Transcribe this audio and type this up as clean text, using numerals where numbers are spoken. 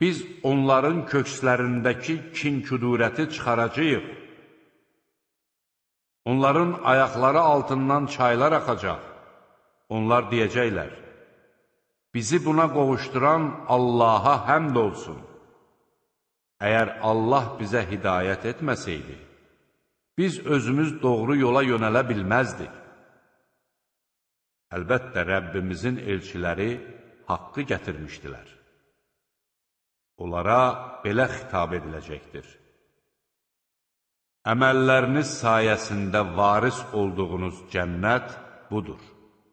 Biz onların kökslərindəki kin-küdurəti çıxaracağıq. Onların ayaqları altından çaylar axacaq. Onlar deyəcəklər, bizi buna qovuşduran Allaha həmd olsun. Əgər Allah bizə hidayət etməsəydi, biz özümüz doğru yola yönələ bilməzdik. Əlbəttə, Rəbbimizin elçiləri haqqı gətirmişdilər. Onlara belə xitab ediləcəkdir. Əməlləriniz sayəsində varis olduğunuz cənnət budur.